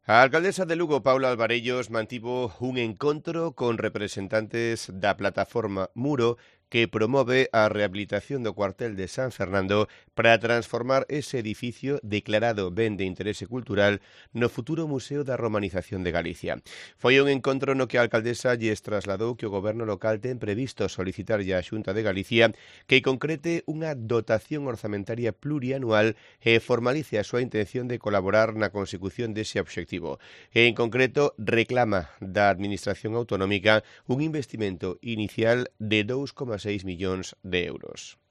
A alcaldesa de Lugo, Paula Alvarellos, mantivo un encontro con representantes da plataforma Muro que promove a rehabilitación do cuartel de San Fernando para transformar ese edificio declarado ben de interese cultural no futuro Museo da Romanización de Galicia. Foi un encontro no que a alcaldesa lles trasladou que o goberno local ten previsto solicitarlle á Xunta de Galicia que concrete unha dotación orzamentaria plurianual e formalice a súa intención de colaborar na consecución dese obxectivo. En concreto, reclama da Administración autonómica un investimento inicial de 2,6 millóns de euros.